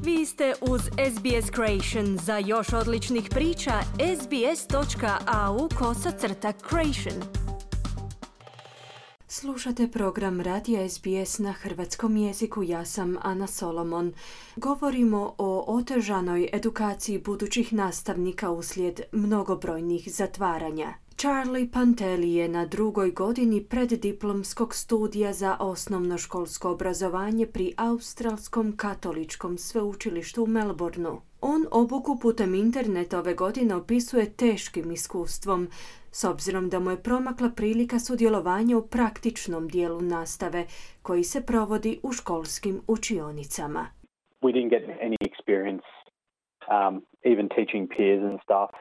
Vi ste uz SBS Creation. Za još odličnih priča, sbs.au/creation. Slušate program Radija SBS na hrvatskom jeziku. Ja sam Ana Solomon. Govorimo o otežanoj edukaciji budućih nastavnika uslijed mnogobrojnih zatvaranja. Charlie Pantelli je na 2. godini preddiplomskog studija za osnovnoškolsko obrazovanje pri Australskom katoličkom sveučilištu u Melbourneu. On obuku putem interneta ove godine opisuje teškim iskustvom, s obzirom da mu je promakla prilika sudjelovanja u praktičnom dijelu nastave koji se provodi u školskim učionicama. We didn't get any experience even teaching peers and stuff.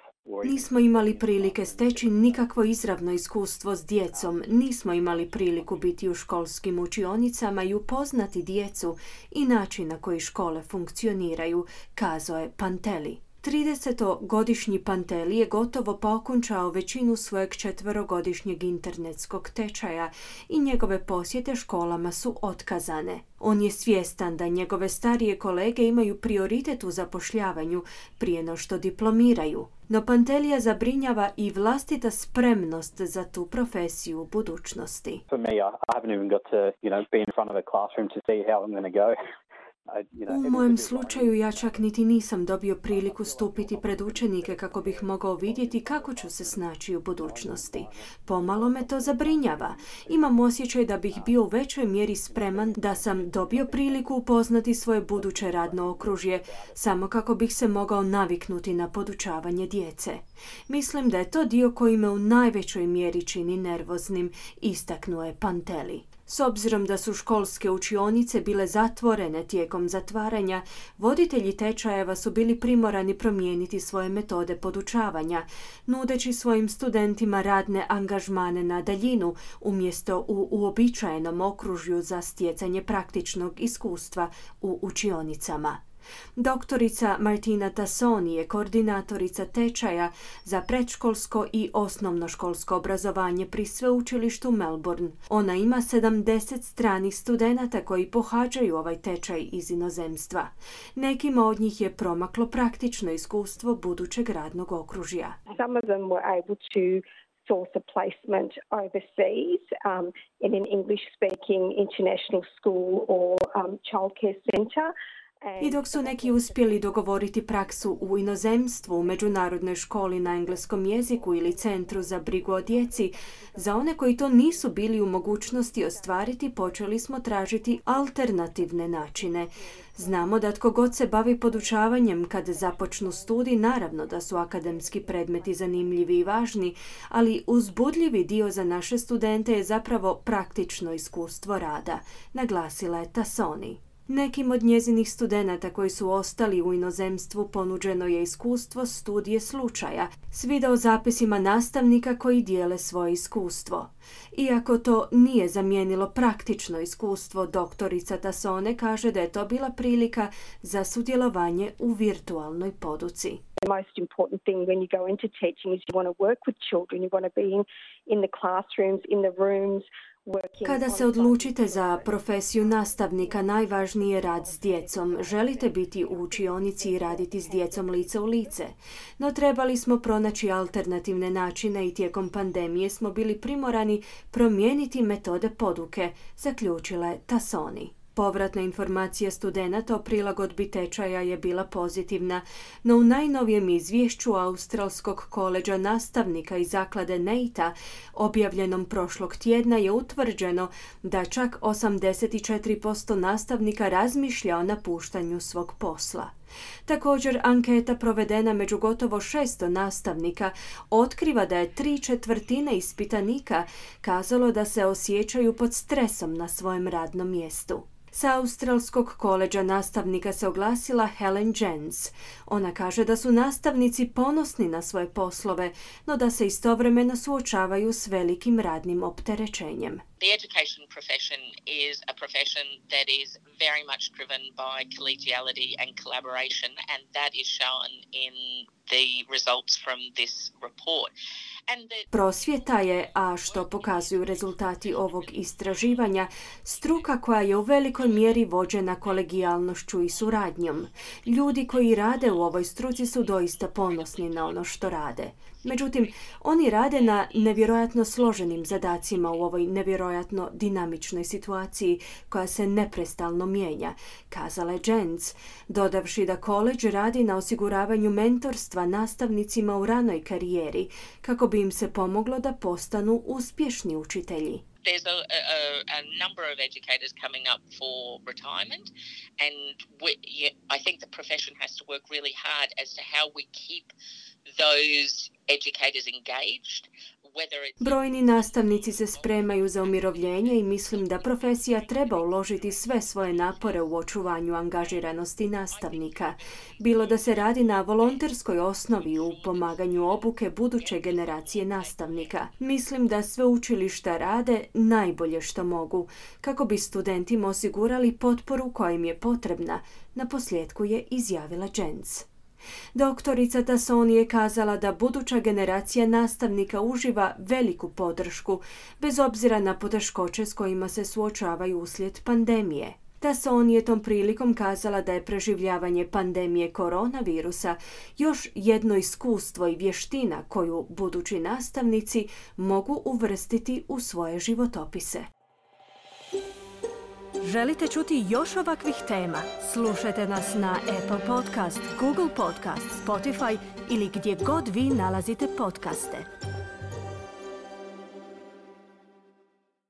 Nismo imali prilike steći nikakvo izravno iskustvo s djecom, nismo imali priliku biti u školskim učionicama i upoznati djecu i način na koji škole funkcioniraju, kazao je Pantelli. 30-godišnji Pantelli je gotovo pokončao većinu svojeg 4-godišnjeg internetskog tečaja i njegove posjete školama su otkazane. On je svjestan da njegove starije kolege imaju prioritet u zapošljavanju prije no što diplomiraju. No Pantellija zabrinjava i vlastita spremnost za tu profesiju u budućnosti. For me, I haven't even got to, be in front of a classroom to see how I'm going to go. U mojem slučaju ja čak niti nisam dobio priliku stupiti pred učenike kako bih mogao vidjeti kako ću se snaći u budućnosti. Pomalo me to zabrinjava. Imam osjećaj da bih bio u većoj mjeri spreman da sam dobio priliku upoznati svoje buduće radno okružje, samo kako bih se mogao naviknuti na podučavanje djece. Mislim da je to dio koji me u najvećoj mjeri čini nervoznim, istaknuo je Pantelli. S obzirom da su školske učionice bile zatvorene tijekom zatvaranja, voditelji tečajeva su bili primorani promijeniti svoje metode podučavanja, nudeći svojim studentima radne angažmane na daljinu umjesto u uobičajenom okružju za stjecanje praktičnog iskustva u učionicama. Doktorica Martina Tassoni je koordinatorica tečaja za predškolsko i osnovnoškolsko obrazovanje pri sveučilištu Melbourne. Ona ima 70 stranih studenata koji pohađaju ovaj tečaj iz inozemstva. Nekima od njih je promaklo praktično iskustvo budućeg radnog okružja. Some of them were able to source a placement overseas in an English-speaking international school or childcare centre. I dok su neki uspjeli dogovoriti praksu u inozemstvu, u međunarodnoj školi na engleskom jeziku ili centru za brigu o djeci, za one koji to nisu bili u mogućnosti ostvariti, počeli smo tražiti alternativne načine. Znamo da tko god se bavi podučavanjem kad započnu studij, naravno da su akademski predmeti zanimljivi i važni, ali uzbudljivi dio za naše studente je zapravo praktično iskustvo rada, naglasila je Tassoni. Nekim od njezinih studenata koji su ostali u inozemstvu ponuđeno je iskustvo studije slučaja s videozapisima nastavnika koji dijele svoje iskustvo. Iako to nije zamijenilo praktično iskustvo, doktorica Tassone kaže da je to bila prilika za sudjelovanje u virtualnoj poduci. The most important thing when you go into teaching is you want to work with children, you want to be in the classrooms, in the rooms. Kada se odlučite za profesiju nastavnika, najvažniji je rad s djecom. Želite biti u učionici i raditi s djecom lice u lice. No trebali smo pronaći alternativne načine i tijekom pandemije smo bili primorani promijeniti metode poduke, zaključila je Tassoni. Povratna informacija studenata o prilagodbi tečaja je bila pozitivna, no u najnovijem izvješću Australskog koleđa nastavnika i zaklade NAITA, objavljenom prošlog tjedna, je utvrđeno da čak 84% nastavnika razmišlja o napuštanju svog posla. Također, anketa provedena među gotovo 600 nastavnika otkriva da je 3/4 ispitanika kazalo da se osjećaju pod stresom na svojem radnom mjestu. Sa Australskog koleđa nastavnika se oglasila Helen Jens. Ona kaže da su nastavnici ponosni na svoje poslove, no da se istovremeno suočavaju s velikim radnim opterećenjem. The education profession is a profession that is very much driven by collegiality and collaboration, and that is shown in the results from this report. Prosvjeta je, a što pokazuju rezultati ovog istraživanja, struka koja je u velikoj mjeri vođena kolegijalnošću i suradnjom. Ljudi koji rade u ovoj struci su doista ponosni na ono što rade. Međutim, oni rade na nevjerojatno složenim zadacima u ovoj nevjerojatno dinamičnoj situaciji koja se neprestalno mijenja, kazala je Jens, dodavši da koledž radi na osiguravanju mentorstva nastavnicima u ranoj karijeri kako bi im se pomoglo da postanu uspješni učitelji. There's a number of educators coming up for retirement, and I think the profession has to work really hard as to how we keep those educators engaged. Brojni nastavnici se spremaju za umirovljenje i mislim da profesija treba uložiti sve svoje napore u očuvanju angažiranosti nastavnika. Bilo da se radi na volonterskoj osnovi u pomaganju obuke buduće generacije nastavnika. Mislim da sveučilišta rade najbolje što mogu, kako bi studentima osigurali potporu koja im je potrebna, naposljetku je izjavila Jens. Doktorica Tassoni je kazala da buduća generacija nastavnika uživa veliku podršku, bez obzira na poteškoće s kojima se suočavaju uslijed pandemije. Tassoni je tom prilikom kazala da je preživljavanje pandemije koronavirusa još jedno iskustvo i vještina koju budući nastavnici mogu uvrstiti u svoje životopise. Želite čuti još ovakvih tema? Slušajte nas na Apple Podcast, Google Podcast, Spotify ili gdje god vi nalazite podcaste.